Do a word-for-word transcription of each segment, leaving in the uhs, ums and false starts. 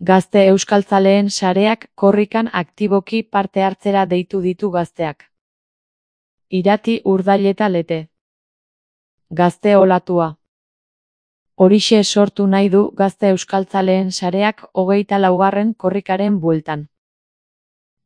Gazte euskaltzaleen sareak korrikan aktiboki parte hartzera deitu ditu gazteak. Irati Urdaileta Lete. Gazte olatua. Horixe sortu nahi du gazte euskaltzaleen sareak hogeita laugarren korrikaren bueltan.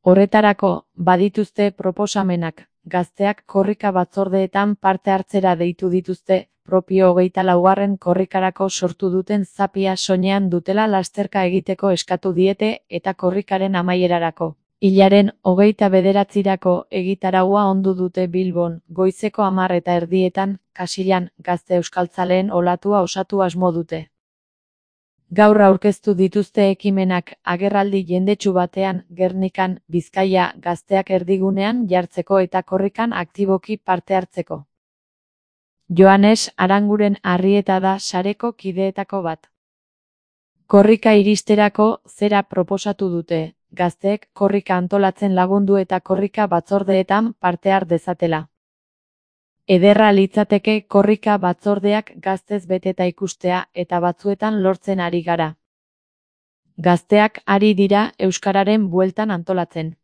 Horretarako, badituzte proposamenak, gazteak korrika batzordeetan parte hartzera deitu dituzte, propio hogeita laugarren korrikarako sortu duten zapia soinean dutela lasterka egiteko eskatu diete eta korrikaren amaierarako. Hilaren hogeita bederatzirako egitaraua ondu dute Bilbon, goizeko hamar eta erdietan, Kasillan, gazte euskaltzaleen olatua osatu asmo dute. Gaur aurkeztu dituzte ekimenak agerraldi jendetsu batean, Gernikan, Bizkaia, gazteak erdigunean jartzeko eta korrikan aktiboki parte hartzeko. Joanes Aranguren Arrieta da sareko kideetako bat. Korrika iristerako zera proposatu dute, gazteek korrika antolatzen lagundu eta korrika batzordeetan parte har dezatela. Ederra litzateke korrika batzordeak gaztez beteta ikustea eta batzuetan lortzen ari gara. Gazteak ari dira euskararen bueltan antolatzen.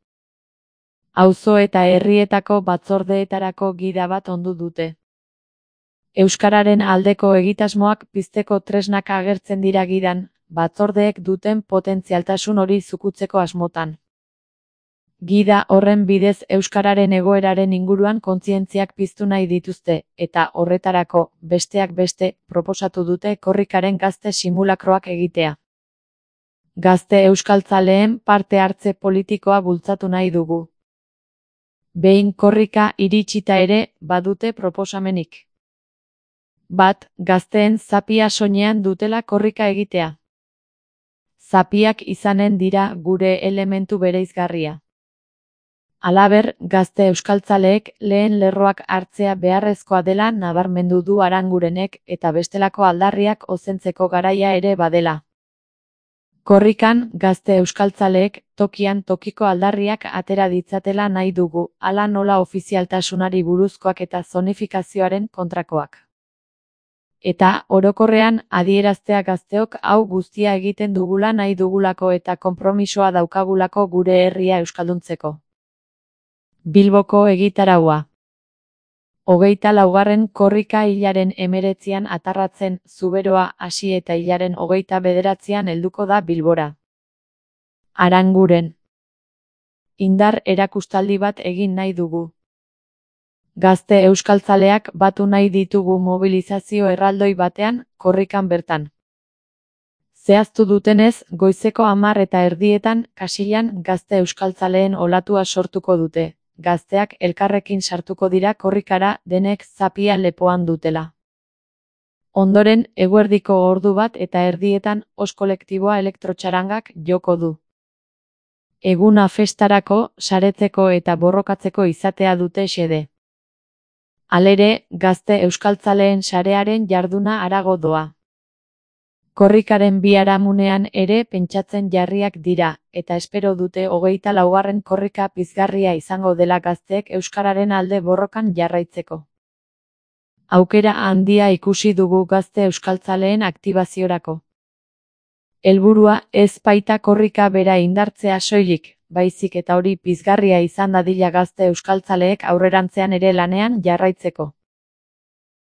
Auzo eta herrietako batzordeetarako gida bat ondu dute. Euskararen aldeko egitasmoak pizteko tresnak agertzen dira gidan, batzordeek duten potentzialtasun hori zukutzeko asmotan. Gida horren bidez euskararen egoeraren inguruan kontzientziak piztu nahi dituzte, eta horretarako, besteak beste, proposatu dute korrikaren gazte simulakroak egitea. Gazte euskaltzaleen parte hartze politikoa bultzatu nahi dugu. Behin korrika iritsita ere, badute proposamenik. Bat, gazteen zapia soinean dutela korrika egitea. Zapiak izanen dira gure elementu bereizgarria. Halaber, gazte euskaltzaleek lehen lerroak hartzea beharrezkoa dela nabarmendu du Arangurenek eta bestelako aldarriak ozentzeko garaia ere badela. Korrikan, gazte euskaltzaleek tokian tokiko aldarriak atera ditzatela nahi dugu, hala nola ofizialtasunari buruzkoak eta zonifikazioaren kontrakoak. Eta, orokorrean, adieraztea gazteok hau guztia egiten dugula nahi dugulako eta konpromisoa daukagulako gure herria euskalduntzeko. Bilboko egitaraua. Hogeita laugarren korrika hilaren hemeretzian atarratzen, Zuberoa hasi eta hilaren hogeita bederatzian helduko da Bilbora. Aranguren. Indar erakustaldi bat egin nahi dugu. Gazte euskaltzaleak batu nahi ditugu mobilizazio erraldoi batean, korrikan bertan. Zehaztu dutenez, goizeko hamar eta erdietan, Kasillan gazte euskaltzaleen olatua sortuko dute. Gazteak elkarrekin sartuko dira korrikara denek zapia lepoan dutela. Ondoren, eguerdiko ordu bat eta erdietan os kolektiboa elektrotxarangak joko du. Eguna festarako, saretzeko eta borrokatzeko izatea dute xede. Halere, gazte euskaltzaleen sarearen jarduna harago doa. Korrikaren biharamunean ere pentsatzen jarriak dira, eta espero dute hogeita laugarren korrika pizgarria izango dela gazteek euskararen alde borrokan jarraitzeko. Aukera handia ikusi dugu gazte euskaltzaleen aktibaziorako. Helburua ez baita korrika bera indartzea soilik, baizik eta hori pizgarria izan dadila gazte euskaltzaleek aurrerantzean ere lanean jarraitzeko.